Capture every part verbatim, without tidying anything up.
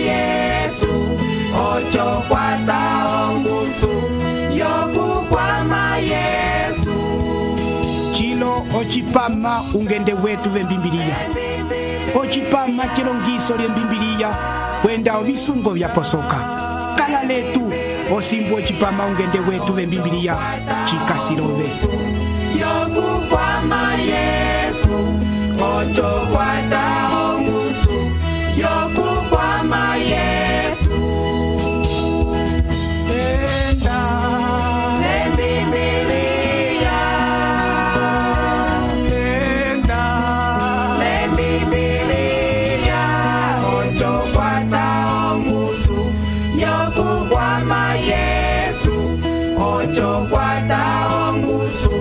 Yesu ocho kwata ongusu yokukwama Yesu chilo ochipama ungende wetu vembimbiliya ochipama chilongiso lyembimbiliya kwenda ovisungo vyaposoka kala letu osimbu ochipama ungende wetu vembimbiliya chikasilove yokukwama Yesu ocho kwata ongusu yokukwama Yesu enda lembimbiliya enda lembimbiliya ocho kwata ongusu yokukwama Yesu ocho kwata ongusu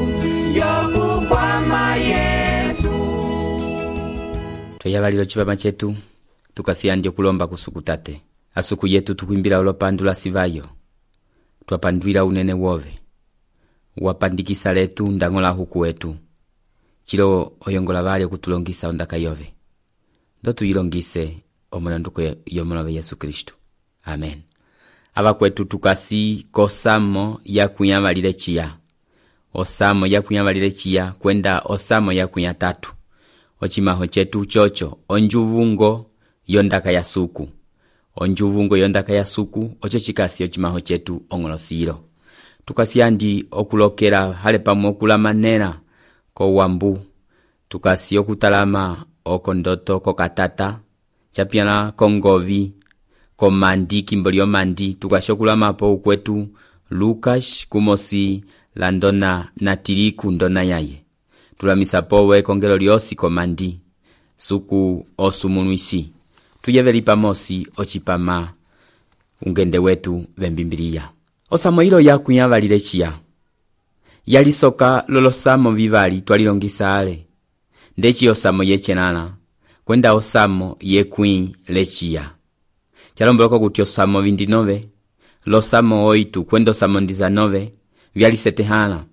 yokukwama Yesu. Twayabalilo chipama chetu tukasiyandye kulomba kusukutate asuku yetu tukwimbila olopandula sivayo twapandwila unene wove wapandikisa letu ndangola huku wetu chilo oyongola vale kutulongisa ondaka yove ndo tuyilongise omonanduko yomulove Yesu Kristo. Amen. Aba kwetu tukasi kosamo ya kunyamalile chiya osamo ya kunyamalile chiya kwenda osamo ya kunya tatu ochimaho chetu chocho onjuvungo yondaka ya suku onjuvungo yondaka ya suku ocho chikasi ochimaho chetu ongolosiro tukasiyandi okulokela hale pamwe okulamanena ko wambu tukasi okutalama okondoto kokatata chapiana kongovi komandi kimbolio mandi tukashokulama po ukwetu Lukas kumosi landona natiriku ndona yaye tulamisa powe kongelo lyosi komandi suku osumunuisi tuyeveli pamosi ochipama ungende wetu vembimbiliya osamoilo yakunyavalile chiya yalisoka lolosamo vivali twalilongisa ale ndechi osamo yechenana kwenda osamo yekwi lechiya chalomboloko kuti osamo vindinove losamo oitu kwenda osamo ndizanove vyalisetehana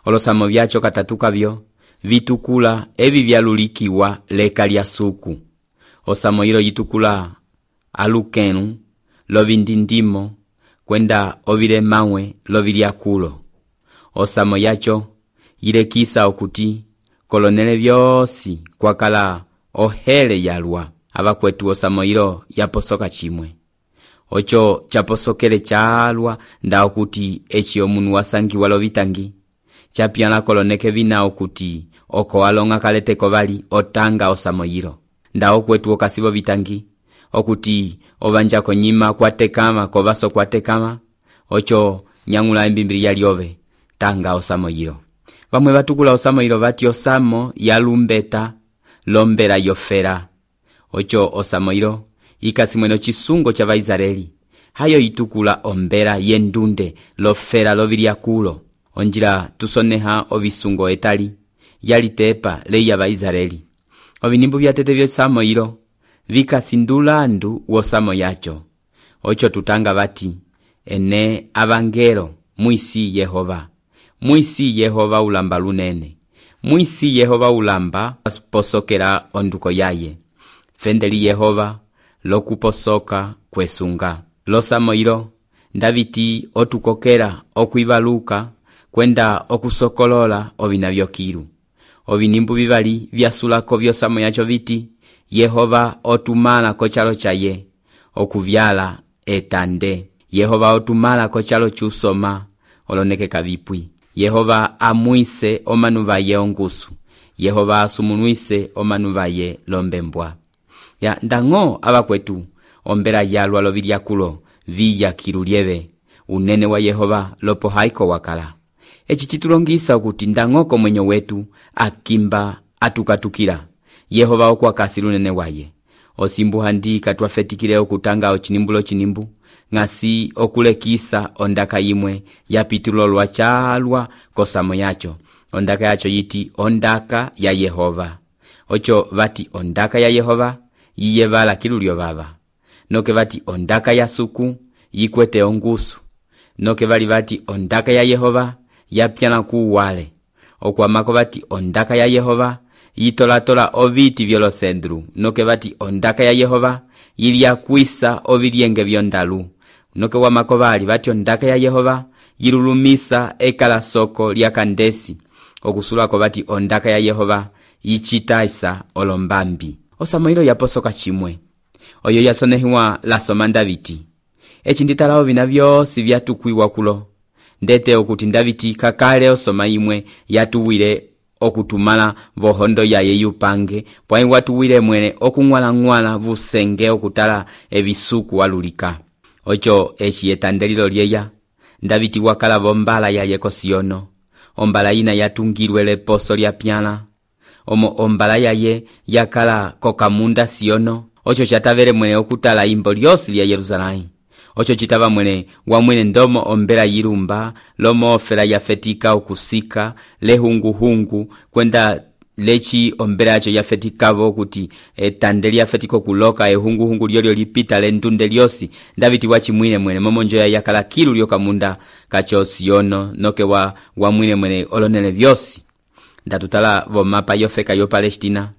olosamo vyacho katatu kavyo vitukula evi vyalulikiwa leka lya suku osamo ilo yitukula alukenu lovindindimo kwenda ovile mawe lovilya kulo osamo yacho yilekisa okuti kolonele vyosi kwakala ohele yalwa abakwetu osamo ilo yaposoka chimwe ocho chaposokele chalwa nda okuti echi omunu wasangiwa lovitangi chapiana koloneke vina okuti oko alonga kaleteko vali otanga osamo yilo nda okwetu okasibo vitangi okuti ovanja konyima kwatekama kovaso kwatekama ocho nyangula embimbili yaliove tanga osamo yilo vamwe vatukula osamo yilo vati osamo yalumbeta lombela yofera ocho osamo yilo ikasimweno chisungo cha Vaisraeli hayo itukula ombela yendunde lofera lovilya kulo onjila tusoneha ovisungo etali yalitepa leya Vaisraeli ovinimbu vyatete vyosamo ilo vikasindulandu wosamo yacho ocho tutanga vati ene avangelo muisi Yehova muisi Yehova ulamba lunene muisi Yehova ulamba posokera onduko yaye fendeli Yehova lokuposoka kwesunga losamo ilo ndaviti otukokera okwivaluka kwenda okusokolola ovina vyokilu ovinimbu vivali vyasulako vyosamo yacho viti Yehova otumala kochalo chaye okuvyala etande Yehova otumala kochalo chusoma oloneke kavipwi Yehova amuise omanuva ye ongusu Yehova asumunuise omanuva ye lombembwa ya ndango abakwetu ombela yalwa lovilya kulo viya kilulieve unene wa Yehova lopo haiko wakala echi chitulongisa okuti ndangoko mwenye wetu akimba atukatukira Yehova okwakasi lunene waye osimbu handi katwafetikile okutanga ochinimbulo chinimbu ngasi okulekisa ondaka imwe yapitulo lwa chalwa kosamo yacho ondaka yacho yiti ondaka ya Yehova ocho vati ondaka ya Yehova yiyevala kilulyo baba noke vati ondaka ya suku yikwete ongusu noke vali vati ondaka ya Yehova yapyana kuwale okwamako vati ondaka ya Yehova yitolatola oviti vyolosendru, noke vati ondaka ya Yehova yili yakwisa ovilyenge vyondalu, noke wamakovali vati ondaka ya Yehova yilulumisa ekala soko lya kandesi, okusulako vati ondaka ya Yehova yichitaisa olombambi. Osamoilo yaposoka chimwe oyo yasonehiwa lasoma Daviti. Echi nditalawo vina vyosi vyatukwiwa kulo, ndete okuti Daviti kakale osoma imwe yatuwile okutumala vohondo yaye yupange, pwai watuwile mwene okung'wala-ng'wala vusenge okutala evisuku walulika. Ocho echi etandelilo lyeya Daviti wakala vombala yaye kosiyono, ombala ina yatungirwe leposo lya pyala, omo ombala yaye yakala kokamunda Siono. Ocho chatavele mwene okutala imbo lyosi lya Yerusalemu. Ocho chitava mwene wa mwene ndomo ombela yirumba, lomo ofela yafetika okusika, lehungu-hungu, kwenda lechi ombela yacho yafetikavo kuti etandeli yafetiko kuloka ehungu-hungu lyolyo lipita lentunde lyosi. Daviti wachi mwine mwene momonjo ya yakala kilu lyokamunda kacho Siono, noke wa, wa mwine mwene olonele vyosi. Ndatutala vo mapa yofeka yo Palestina,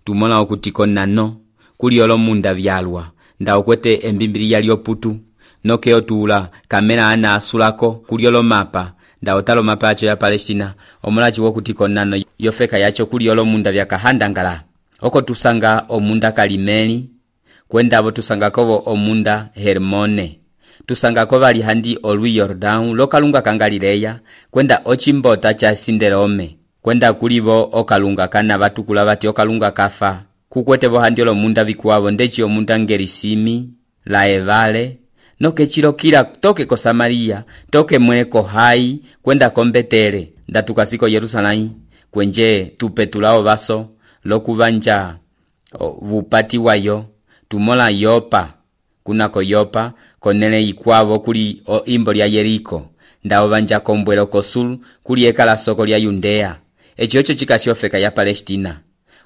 tumona okuti konano kuli olomunda vyalwa, nda okwete embimbili yalyo putu, noke otula kamera ana asulako kuli olomapa, nda otalo mapa yacho ya Palestina, omulachi wokuti konano yofeka yacho kuli olomunda vyakahandangala. Oko tusanga omunda Kalimeli, kwenda abo tusanga kovo omunda Hermone, tusanga kova lihandi olwi Yordan lokalunga kangalileya, kwenda ochimbota cha Sinderome, kwenda kulivo okalunga kana batukula bati okalunga kafa, kukwete vohandi olomunda vikuwavo ndechi omunda Ngerisimi, Laevale, noke chilokila toke ko Samaria, toke mwene ko Hai, kwenda kombetele, ndatukasiko Yerusalemu, kwenje tupetulao baso, lokuvanja vupati wayo, tumola Yopa, kunako Yopa, konele ikwavo kuli o imbo lya Yeriko, ndao vanja kombwelo kosulu, kuli ekala soko lya Yudea. Echi ocho chikasiofeka ya Palestina.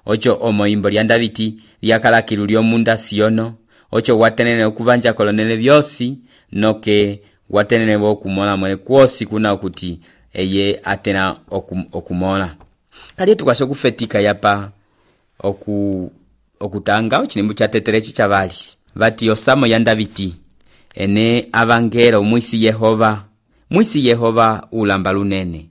Ocho omo imbo lya Daviti lyakala kilu lyomunda Siono. Ocho watenene okuvanja kolonele vyosi, noke watenene wo kumola mwene kwosi kuna okuti eye atena okum, okumola. Kali tukasho kufetika yapa oku okutanga ochinembu cha teterechi chavali. Vati osamo ya Daviti ene avangelo mwisi Yehova, mwisi Yehova ulamba lunene,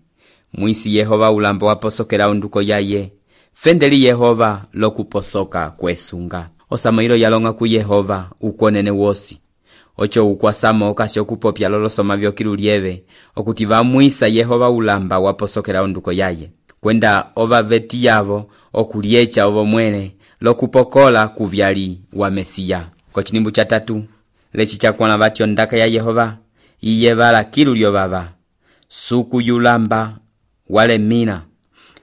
mwisi Yehova ulamba waposokela onduko yaye, fendeli Yehova lokuposoka kwesunga. Osamoilo yalonga ku Yehova ukonene wosi. Ocho ukwasamo okasho kupopya lolosoma vyokilu lieve, okuti vamwisa Yehova ulamba waposokela onduko yaye, kwenda ova veti yavo okuliecha ovo mwene lokupokola kuvyali wa Mesiya. Kochinimbu cha tatu lechi chakwana vati ondaka ya Yehova iyevala kilu lyovava, suku yulamba wale mina,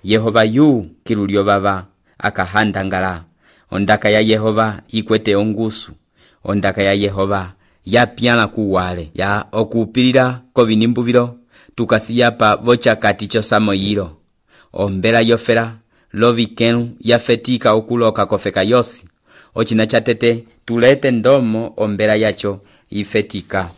Yehova yu kilu lyovava akahandangala. Ondaka ya Yehova ikwete ongusu, ondaka ya Yehova ya pyala kuwale, ya okupilira kovinimbu vilo, tukasiyapa vocha katicho samoyilo. Ombela yofela, lovikenu yafetika okuloka kofeka yosi. Ochina chatete tulete ndomo ombela yacho ifetika.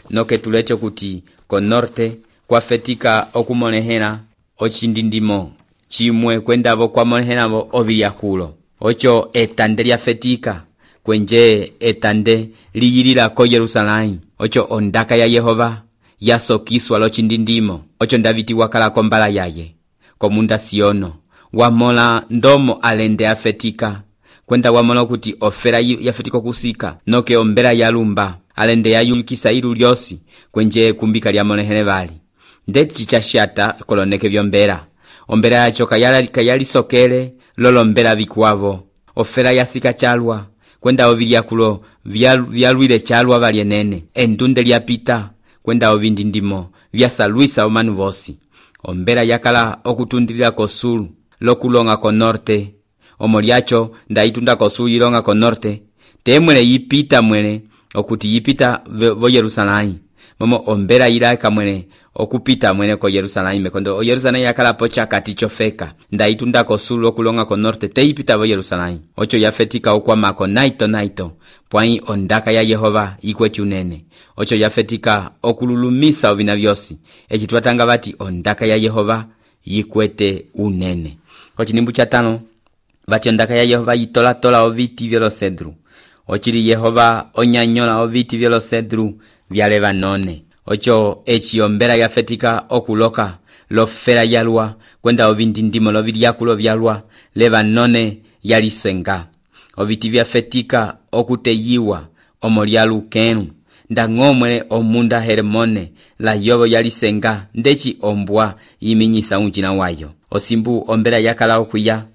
Noke tulecho kuti konorte kwa fetika okumonehena ochindindimo chimwe kwenda vo kwa monehena vo oviliakulo. Ocho etande lyafetika kwenje etande liyilila ko Yerusalemu. Ocho ondaka ya Yehova yasokiswa lochindindimo. Ocho Daviti wakala kombala yaye komunda Siono, wamola ndomo alende afetika, kwenda wamola kuti ofera yafetiko kusika, noke ombela yalumba alende yayulukisa ilu lyosi kwenje kumbika lya monehene vali. Ndeti chichashata koloneke vyombela, ombela yacho kayala kayali sokele lolo mbela vikuwavo, ofera yasika chalwa, kwenda ovilya kulo vyalwile chalwa valyenene, endunde lyapita, kwenda ovindindimo vyasalwisa omanu vosi. Ombela yakala okutundilila kosulu lokulonga ko norte, omo lyacho ndaitunda kosulu yilonga ko norte, temwele yipita mwele okuti yipita vo Yerusalemu. Momo ombela yilaka mwele okupita mwele ko Yerusalemu, mekondo o Yerusalemu yakala pocha katicho feka, ndaitunda kosulu lokulonga ko norte te yipita vo Yerusalemu. Ocho yafetika okwa mako naito naito, pwai ondaka ya Yehova ikweti unene. Ocho yafetika okululumisa ovina vyosi, echi tuatanga vati ondaka ya Yehova ikwete unene. Kochinimbu cha tano vatyo ondaka ya Yehova yitolatola oviti vyolocedru, ocili Yehova onyanyola oviti vyolocedru vya Lebanone. Ocho eci ombela yafetika okuloka lofela yalwa kwenda ovindindimo lovilyakulo vyalwa Lebanone yalisenga. Oviti vyafetika okuteyiwa omolyalu kenu ndang'omwele omunda Hermone la yobo yalisenga ndeci ombwa yiminyisa unjina wayo. Osimbu ombela yakala okwiya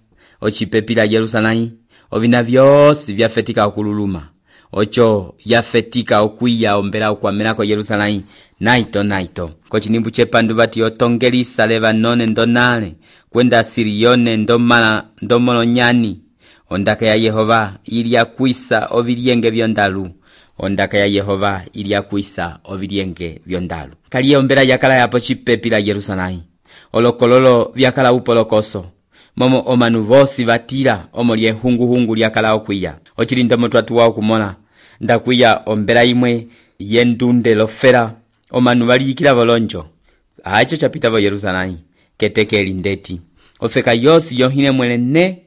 ocipepila Yerusalai ovina vyosi vyafetika okululuma. Ocho yafetika okwiya ombela okwamelako Yerusalai naito naito. Kochinimbu chepandu vati otongelisa Lebanone ndonale kwenda Sirione ndomala ndomolonyani. Ondaka ya Yehova ilia kwisa ovilienge vyondalu. Ondaka ya Yehova ilia kwisa ovilienge vyondalu. Kaliye ombela yakala yapo chipepila Yerusalai. Olokololo vyakala upolokoso. Momo omanu vosi vatila omolye hungu hungu lyakala okwiya. Ochili ndomo twatuwa okumola. Ndakwiya ombela imwe yendunde lofela omanu valikila volonjo. Hacho chapita vo Yerusalai keteke elindeti. Ofeka yosi yohine mwele ne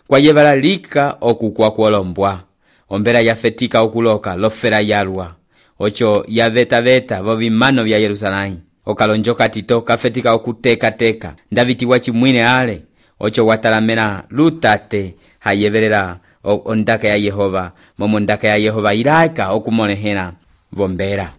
kwa yevala lika okukwa kuolombwa. Ombela yafetika okuloka lofela yalwa. Ocho yaveta veta vovimano vya Yerusalai. Okalonjoka tito kafetika okuteka teka. Ndaviti wachimwine ale. Ocho watalamena lutate hayevelela ondaka ya Yehova. Momo ondaka ya Yehova ilaika okumolehela vombela.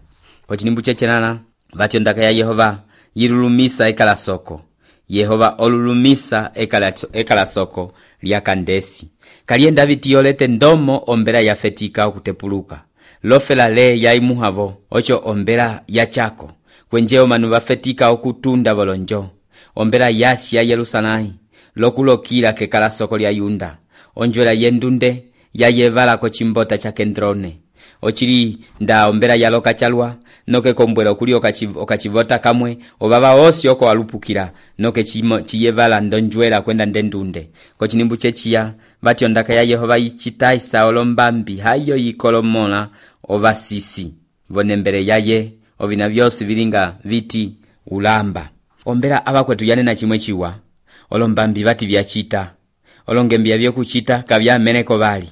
Ochinimbu chechenana vati ondaka ya Yehova yilulumisa ekala soko. Yehova olulumisa ekala, ekala soko lya Kandesi. Kaliye Daviti yolete ndomo ombela yafetika okutepuluka. Lofela le ya imuhavo. Ocho ombela ya chako. Kwenje omanu vafetika okutunda volonjo. Ombela yasi ya Yerusalai. Lokulokila kekala soko lya Yunda. Onjwela yendunde ya yevala kochimbota cha Kendrone. Ochili nda ombela ya loka chalwa. Noke kombwela okuli okachivota kamwe. Obaba osi oko walupukila. Noke chiyevala ndonjwela kwenda ndendunde. Kochinimbu chechia. Vati ondaka ya Yehova yichitaisa olombambi. Hayo yikolomola ovasisi. Vonembele yaye. Ovina vyosi vilinga viti ulamba. Ombela abakwetu yanena chimwe chiwa. Olombambi vati vyachita. Olongembia vyokuchita kavya meneko vali.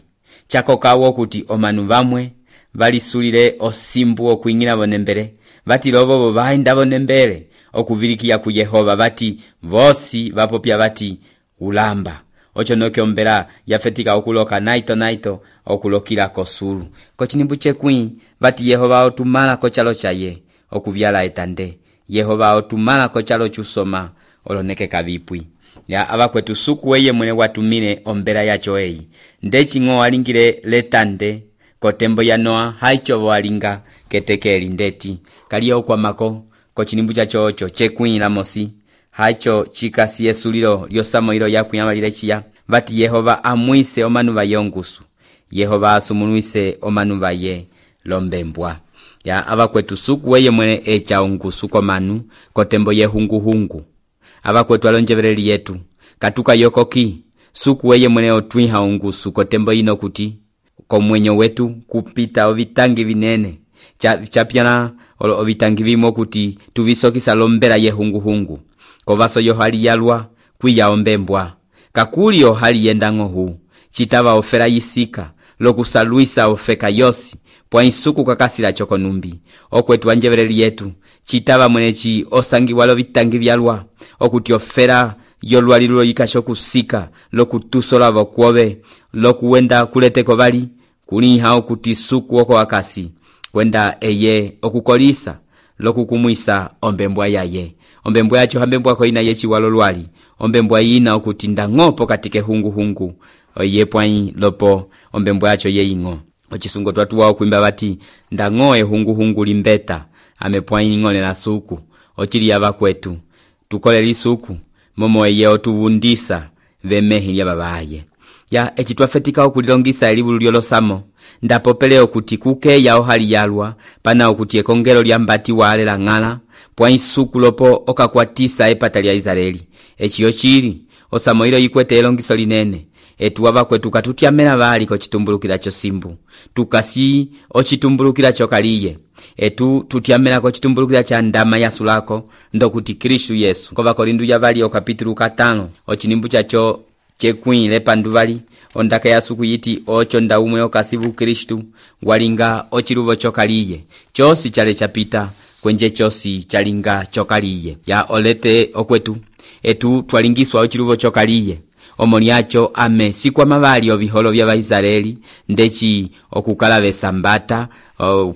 Chako kawo kuti omanu vamwe vali sulile osimbu okuingina vonembele. Vati lobo vainda vonembele okuvilikia ku Yehova vati vosi vapopya vati ulamba. Ocho noke ombela yafetika okuloka naito naito okulokila kosulu. Kochinimbu chekwi vati Yehova otumala kochalo chaye okuvyala etande. Yehova otumala kochalo chusoma oloneke kavipwi. Ya abakwetu suku weye mwene watumine ombela yacho eyi. Ndechi ngo walingile letande kotembo ya Noa haicho walinga keteke elindeti. Kaliye okwa mako kochinimbu chacho ocho chekwi la mosi. Haicho chikasi yesulilo lyosamo ilo ya kuyamalile chia. Vati Yehova amwise omanu vayongusu. Yehova asumunuise omanu vaye lombembwa. Ya abakwetu suku weye mwene echa ongusu komanu kotembo ye hungu hungu. Abakwetu alonjevereli yetu katuka yokoki suku weye mwene otwiha ongusu kotembo ino kuti komwenyo wetu kupita ovitangi vinene chapyana ovitangi vimo kuti tuvisokisa lombela ye hungu hungu. Kovaso yo hali yalwa kwiya ombembwa. Kakuli yo hali yendango hu chitava ofera yisika lokusaluisa ofeka yosi pwa insuku kakasila choko numbi. Okwetu anjevereli yetu chitava mwenechi osangi walo vitangi vyalwa okuti ofera yolwalilo yikashokusika lokutusola vokuove lokuwenda kuleteko vali kuliha okuti suku oko wakasi kwenda eye okukolisa lokukumwisa ombembwa yaye. Ombembwa yacho hambembwa ko ina yechi walo lwali. Ombembwa ina okuti ndang'opo katike hungu hungu oye pwai lopo ombembwa yacho ye ingo. Ochisungo twatuwa okuimba vati ndang'oe hungu hungu limbeta amepwai ngole na suku. Ochili abakwetu tukole lisuku momo eye otuvundisa vemehi ya babaye. Ya echi twafetika okulilongisa elivu lyolosamo ndapopele okuti kuke ya ohali yalwa pana okuti ekongelo lyambati wale la ngala pwa insuku lopo okakwatisa epata lya Israeli. Echi yochili osamo ilo yikwete elongiso linene. Etu abakwetu katutyamela bali ko chitumbulukira cho simbu. Tukasi ochitumbulukira cho kaliye. Etu tutyamela ko chitumbulukira cha ndama yasulako ndokuti Kristu Yesu. Kova Korindu ya bali o kapitulu katano ochinimbu chacho chekwĩ lepanduvali ondaka ya suku yiti ocho nda umwe okasivu Kristu walinga ochiluvo chokaliye chosi chale chapita kwenje chosi chalinga chokaliye ya olete okwetu etu twalingiswa ochiluvo chokaliye omoniacho ame sikwa mavali oviholo vya Vaisraeli ndechi okukala vesambata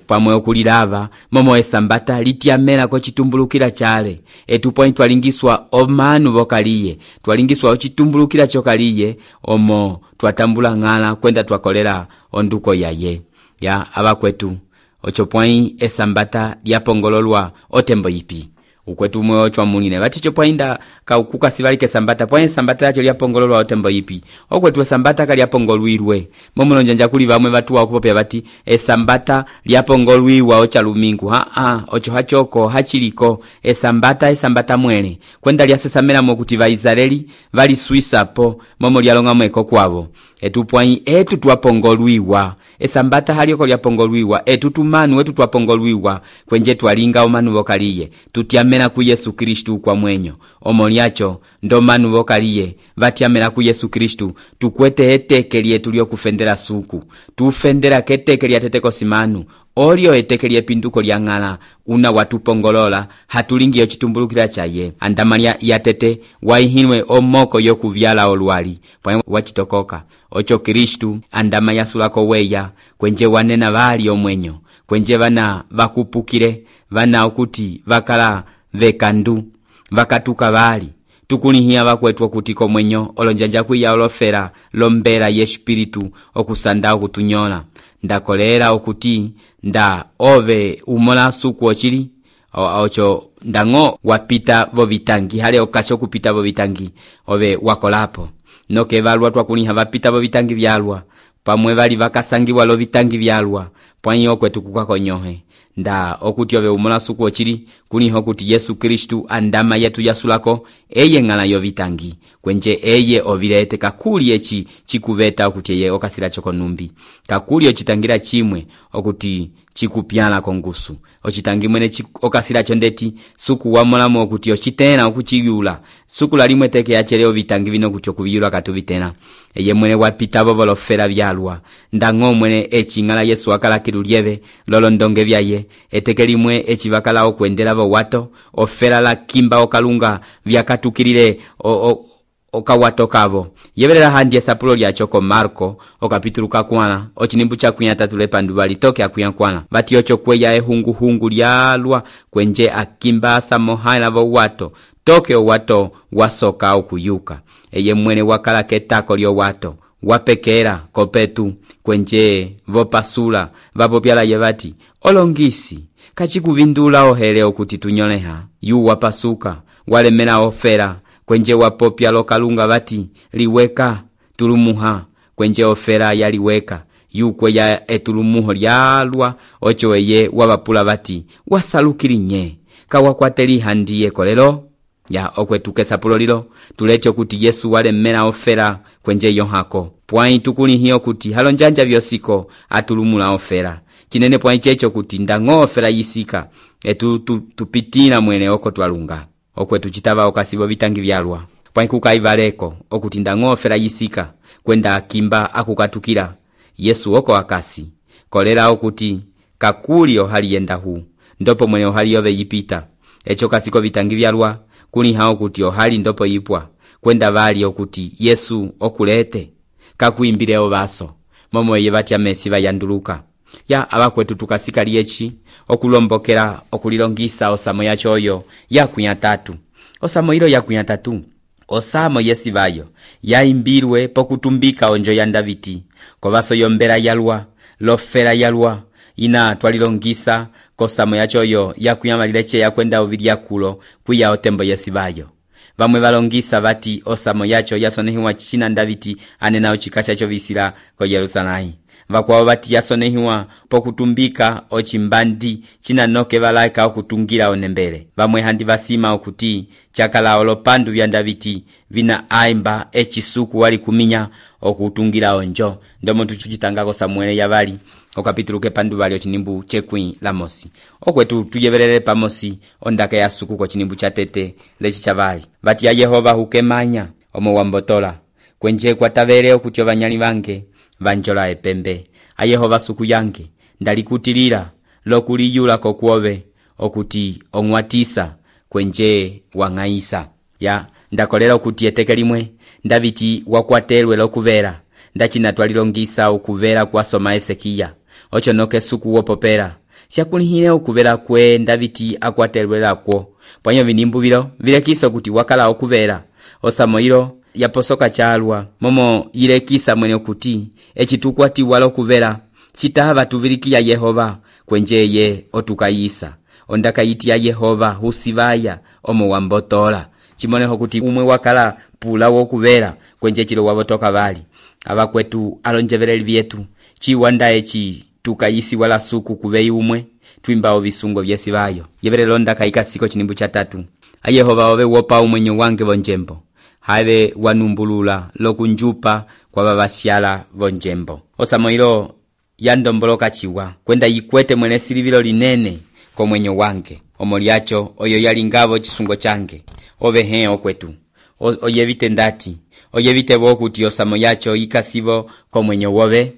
pamwe okulilava momo esambata litiamela ko chitumbulukira chale etu point twalingiswa omanu vokaliye twalingiswa ochitumbulukira chokaliye omo twatambula ngala kwenda twakolera onduko yaye ya abakwetu ocho point esambata lyapongololwa otembo ipi ukwetu umwe ochwa munine vaticho poinda ka ukuka sivalike sambata point sambata yacho lyapongololwa otembo ipi okwetu sambata kalyapongolwirwe momulonjanja kuli vamwe vatu wa okupopya vati esambata lyapongolwiwa ochalumingu ha ha ocho hachoko hachiliko esambata esambata mwene kwenda lyasesamela mokuti Vaisraeli vali Swissa po momo lyalonga mweko kwavo etu point etu twapongolwiwa esambata halioko lyapongolwiwa etu tumanu wetu twapongolwiwa kwenje twalinga omanu vokaliye tutiamela ku Yesu Kristu kwa mwenyo omoliacho ndo manu vokaliye vatiamela ku Yesu Kristu tukwete eteke lyetu lyokufendera suku tufendera keteke lyateteko simanu olio eteke lyepinduko lyangala una watupongolola hatulingi yochitumbulukira chaye andamalia yatete waihinwe omoko yokuvyala olwali pwa wachitokoka ocho Kristu andama yasulako weya kwenje wanena vali omwenyo kwenje vana vakupukire vana okuti vakala vekandu vakatuka vali tukulihia vakwetu kutiko mwenyo olonjanja kuya olofera lombera yespiritu okusanda okutunyola ndakolera okuti nda ove umola suku ochili ocho ndango wapita vovitangi hale okacho kupita vovitangi ove wakolapo noke valwa twakuliha vapita vovitangi vyalwa pamwe vali vakasangiwa lo vitangi vyalwa pwanyi okwetu kukakonyohe nda okuti ove umola suku ochili kuliho kuti Yesu Kristu andama yetu yasulako eye ngala yo vitangi kwenje eye ovilete kakuli echi chikuveta okuti eye okasira choko numbi kakuli ochitangira chimwe okuti chikupyala kongusu ochitangi mwene okasira chondeti suku wamolamo okuti ochitena okuchiyula suku lalimwe teke yacheleo vitangi vino kuti okuviyula katuvitena eye mwene wapita vovolo fera vyalwa ndango mwene echi ngala Yesu akala kirulieve lolo ndonge vyaye eteke limwe echi vakala okwendela vo wato ofera la kimba okalunga vyakatukirire o, o, okawato kavo yeverera handi esapulo lyachoko Marko okapitulu kakwana ochinimbu chakuya tatu lepanduvali toke akuya kwana vati ocho kweya ehungu hungu lyalwa kwenje akimba samohaila vo wato toke o wato wasoka okuyuka eye mwene wakala ketako lyo wato wapekera kopetu kwenje vopasula vapopyala yevati olongisi kachikuvindula ohele okuti tunyoleha yu wapasuka walemena ofera kwenje wapopya lokalunga vati liweka tulumuha kwenje ofera yaliweka yu kweya etulumuho lyalwa ocho eye wabapula vati wasalukirinye kawakwateli handiye kolelo ya okwetuke sapulo lilo tulecho kuti Yesu walemena ofera kwenje yohako pwai tukuli hiyo kuti halonjanja vyosiko atulumula ofera chinene pwai checho kuti ndango ofera yisika etu tu, tupitina mwene oko twalunga okwetu chitava okasibo vitangi vyalwa pwai kukaivaleko okuti ndango ofera yisika kwenda akimba akukatukira Yesu oko akasi kolera okuti kakuli ohali yenda hu ndopo mwene ohali yove yipita echo kasiko vitangi vyalwa kuni hao kuti ohali ndopo yipwa kwenda vali okuti Yesu okulete kakuimbireo vaso momo ye vati amesi vayanduluka ya abakwetu tukasika liechi okulombokera okulilongisa osamo yachoyo yakunya tatu osamo ilo yakunya tatu osamo yesi vayo yaimbirwe pokutumbika onjo ya Daviti kovaso yombera yalwa lofera yalwa ina twalilongisa kosamo yachoyo yakuyamalileche yakwenda ovilyakulo kuya otembo yesi vayo vamwe valongisa vati osamo yacho yasonehiwa china Daviti anena ochikasha chovisira ko Yerusalemu vakwao vati yasonehiwa pokutumbika ochimbandi china noke valaika okutungira onembele vamwe handi vasima okuti chakala olopandu vya Daviti vina aimba echisuku wali kuminya okutungira onjo ndomo tuchitangako Samuele yavali okapitulu kepandu vali ochinimbu chekwi lamosi okwetu tuyeverere pamosi ondaka ya suku ko chinimbu chatete lechi chavali vati ya Yehova hukemanya omo wambotola kwenje kwatavele okuti ovanyali vange vanjola epembe a Yehova suku yange ndalikutilila lokuliyula kokuove okuti ong'watisa kwenje wang'aisa ya ndakolela okuti eteke limwe ndaviti wakwatelwe lokuvela ndacinatwalilongisa ukuvela kwasoma Esekiya ocho noke suku wopopela syakulihile ukuvela kwe ndaviti akwatelwe lakwo pwanyo vinimbu vilo vilekisa kuti wakala okuvela osamoilo yaposoka chalwa momo ilekisa mwene okuti echitukwatiwa lokuvela chitava tuvilikiya Yehova kwenje ye otukayisa ondakayiti ya Yehova husivaya omo wambotola chimoneho kuti umwe wakala pula wokuvela kwenje chilo wavotoka vali abakwetu alonjeveleli vyetu chiwanda echi tukayisi wala suku kuvei umwe twimbao visungo vyesivayo yevelelo ndakayika siko chinimbu cha tatu a Yehova ove wopa umwenyo wange vonjembo have wanumbulula lokunjupa kwa babasyala vonjembo osamoilo yandomboloka chiwa kwenda yikwete mwene silivilo linene kwa mwenyo wange omoliacho oyo yalingavo chisungo change ove he okwetu oyevite ndati oyevite bokuti osamo yacho ikasivo kwa mwenyo wove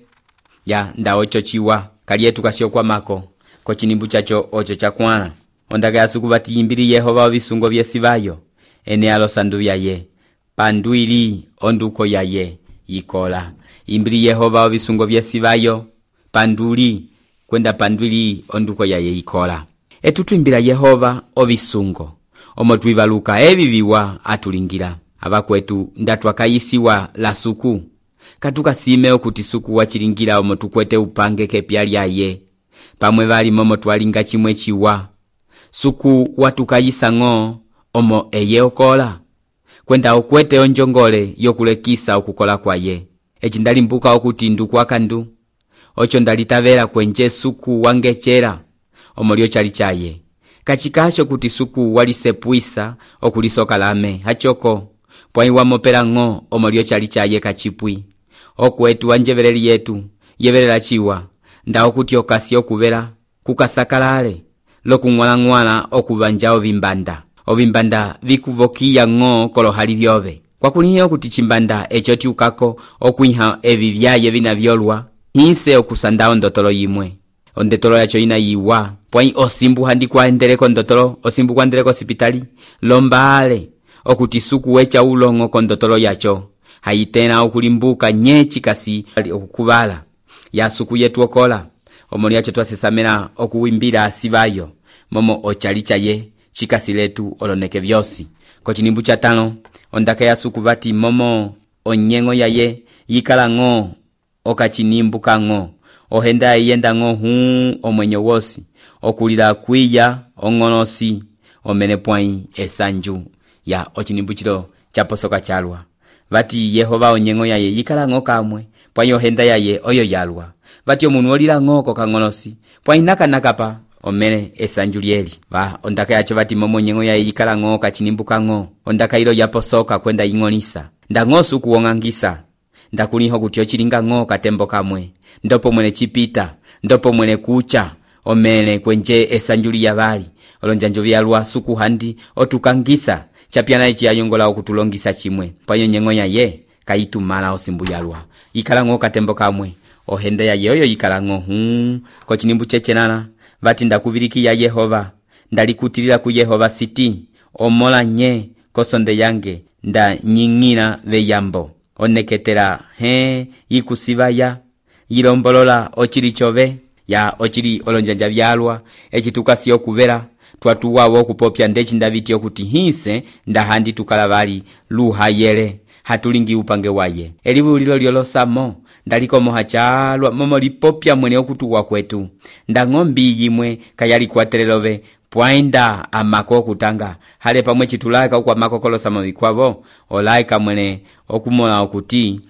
ya nda ocho chiwa kalietu kasio kwa mako ko chinimbu chacho ocho chakwana ondaka yasuku vati yimbili Yehova ovisungo vyesivayo ene alo sandu yaye panduili onduko yaye yikola yimbili Yehova ovisungo vyesivayo panduli kwenda panduli onduko yaye yikola etutwimbila Yehova ovisungo omo twivaluka eviviwa atulingira abakwetu ndatwakayisiwa la suku katuka sime okuti suku wachilingira omo tukwete upange kepya lyaye pamwe vali momo twalinga chimwe chiwa suku watukayisa ng'o omo eye okola kwenda okwete onjongole yokulekisa okukola kwaye echi ndalimbuka okuti ndukwakandu ocho ndalitavela kwenje suku wangechera omolio chali chaye kachikasho kuti suku walisepuisa okulisoka lame hachoko pwai wamopela ng'o omolio chali chaye kachipwi okwetu wanjeveleli yetu yevelela chiwa nda okuti okasi okuvela kukasakalale lokung'wala-ng'wala okuvanja ovimbanda ovimbanda vikuvokiya ng'o kolohali vyove kwakulihe okuti chimbanda echo tiukako okwiha evi vyaye vinavyolwa hinse okusanda ondotolo yimwe ondotolo yacho ina yiwa pwai osimbu handi kwaendeleko ondotolo osimbu kwaendeleko sipitali lombale okuti suku wecha ulongo kondotolo yacho haitena okulimbuka nyechi kasi okukuvala ya suku yetu okola omoli yacho twasesamena okuwimbira asivayo momo ochalicha ye chikasi letu oloneke vyosi ko chinimbu cha tano ondaka ya suku vati momo onyengo yaye yikala ng'o okachinimbu kang'o ohenda yenda ng'o huu omwenyo wosi okulila kwiya ong'onosi omene pwai esanju ya ochinimbu chilo chaposoka chalwa vati Yehova onyengo yaye yikala ng'o kamwe pwai ohenda yaye oyo yalwa vati omunu olila ng'o kokang'onosi pwai nakanakapa omene esanju lyeli va ondaka yacho vati momo nyengo yaye yikala ng'o kachinimbu kang'o ondaka ilo yaposoka kwenda ing'onisa nda ng'o suku wong'angisa ndakuliho kuti ochilinga ng'o katembo kamwe ndopo mwene chipita ndopo mwene kucha omene kwenje esanjuli yavali olonjanjo vyalwa suku handi otukangisa chapyana ichi ayongola okutulongisa chimwe panyo nyengo yaye kaitumala osimbu yalwa ikala ng'o katembo kamwe ohenda yaye oyo ikala ng'o huu ko chinimbu chechenana vati ndakuvilikiya ya Yehova ndalikutilila ku Yehova siti omola nye kosonde yange nda nying'ina veyambo oneketela he ikusivaya yilombolola ochili chove ya ochili olonjanja vyalwa echitukasi okuvela twatuwawo okupopya ndechi ndaviti okuti hinse ndahandi tukala vali luhayele hatulingi upange waye elivu lilo lyolosamo ndaliko moha chalwa momo lipopya mwene okutuwa kwetu ndang'ombi yimwe kayali kwatelelove pwainda amako okutanga hale pamwe chitulaika ukwa mako kolosamo vikwavo olaika mwene okumola okuti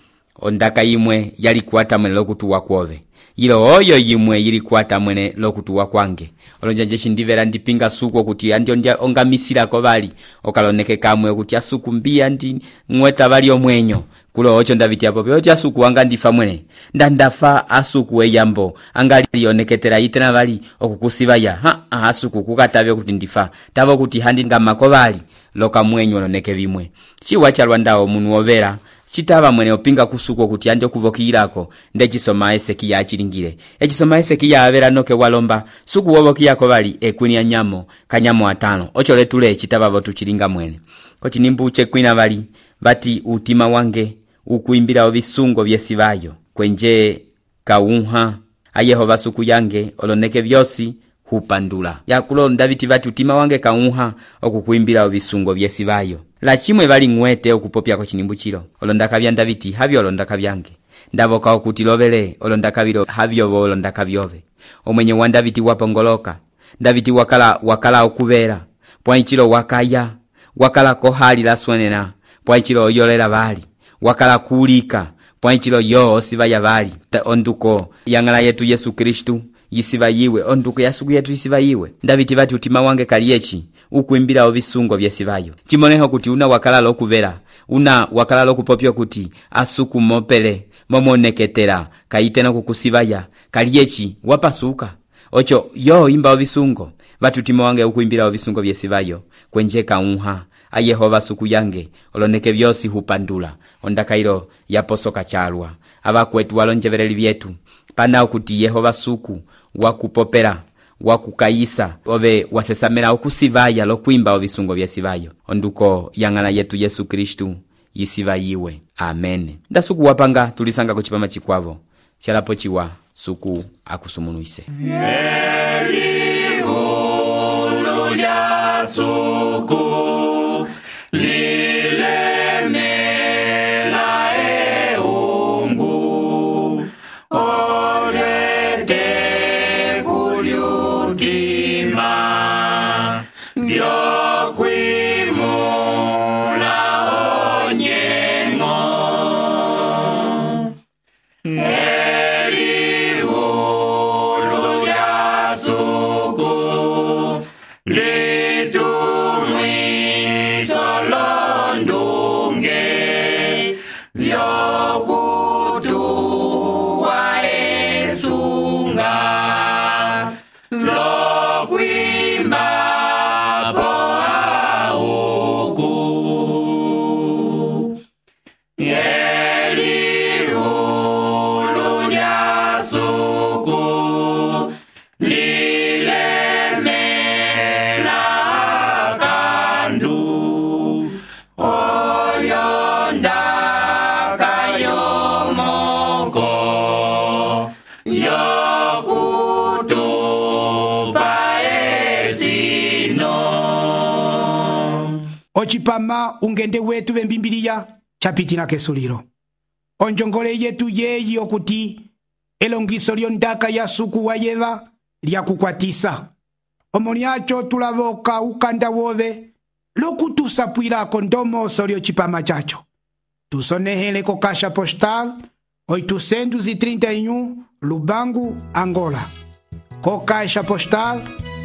ondaka yimwe yali kwata mwene lokutuwa kwove ilo oyo yimwe yili kwata mwene lokutuwa kwange olonjanje chindivera ndipinga suku okuti andi ondia ongamisira ko bali okaloneke kamwe okuti asuku mbia ndi ngweta bali omwenyo kulo ocho ndaviti apo ocho asuku wanga ndifa mwene ndandafa asuku weyambo angali yoneketera itena bali okukusivaya ha asuku kukatavye kuti ndifa tavo kuti handi ngamako bali loka mwenyo oloneke bimwe chiwa chalwa ndawo munu overa citava mwene opinga kusuku okuti andi okuvokiyilako nde cisoma Esekiya acilingile. Ecisoma Esekiya avera noke walomba suku wovokiyako vali ekwini ya nyamo kanyamo atano. Ocho letule citava votu cilinga mwene. Kocinimbu cekwina vali vati utima wange ukuimbila ovisungo vyesivayo kwenje kaunha a Yehova suku yange oloneke vyosi hupandula. Yakulonda viti vati utima wange kaunha okukuimbila ovisungo vyesivayo. La chimwe vali ngwete okupopya ko cinimbu chilo. Olondaka vyanda viti havyo olondaka vyange. Ndavoka okutilovele olondaka vilo havyo vo olondaka vyove. Omwenye wanda viti wapongoloka. Ndaviti wakala wakala okuvera. Pwanchilo wakaya. Wakala kohali la swenena. Pwanchilo oyolela vali. Wakala kulika. Pwanchilo yo osivaya vali. Onduko yangala yetu Yesu Kristu yisiva yiwe. Onduko yasuku yetu yisiva yiwe. Ndaviti vati utima wange kaliechi ukuimbila ovisungo vyesivayo. Chimoneho kuti una wakala lokuvera. Una wakala lokupopyo kuti asuku mopele momoneketera kaitena kukusivaya kaliechi wapasuka. Ocho yo imba ovisungo vati utima wange ukuimbila ovisungo vyesivayo kwenje kaunha a Yehova suku yange oloneke vyosi hupandula. Ondakairo yaposoka chalwa abakwetu walonjevereli vyetu pana okuti Yehova suku wakupopera wakukayisa ove wasesamela okusivaya lokuimba ovisungo vyesivayo. Onduko yangala yetu Yesu Kristu yisiva yiwe. Amen. Nda suku wapanga tulisanga kuchipama chikwavo chalapo chiwa suku akusumunuise. Elihu lya suku lilemela eungu olete kuliutima vyokwimula onyengo. Elihu lya suku litumwiso londunge vyokutuwa esunga lokwimba po auku. Elihu lya suku lilemela kandu olyonda kayomoko yokutupa esino. Ochipama ungende wetu vembimbiliya chapitina kesuliro. Onjongole yetu yeyi okuti elongiso lyondaka ya suku wa Yeva lya kukwatisa. Omoniacho tulavoka ukanda wove lokutusapwilako ndomoso lyochipama chacho. Tusonehele ko kasha postal oitocentos e trinta e um Lubango, Angola. Ko kasha postal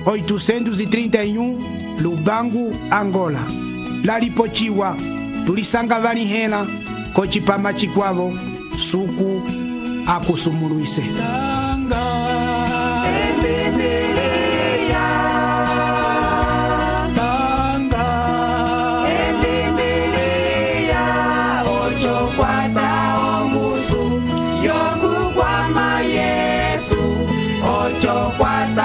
oitocentos e trinta e um Lubango, Angola. Lalipochiwa tulisanga vani hena ko chipama chikwavo suku akusumuluise. Ocho kwata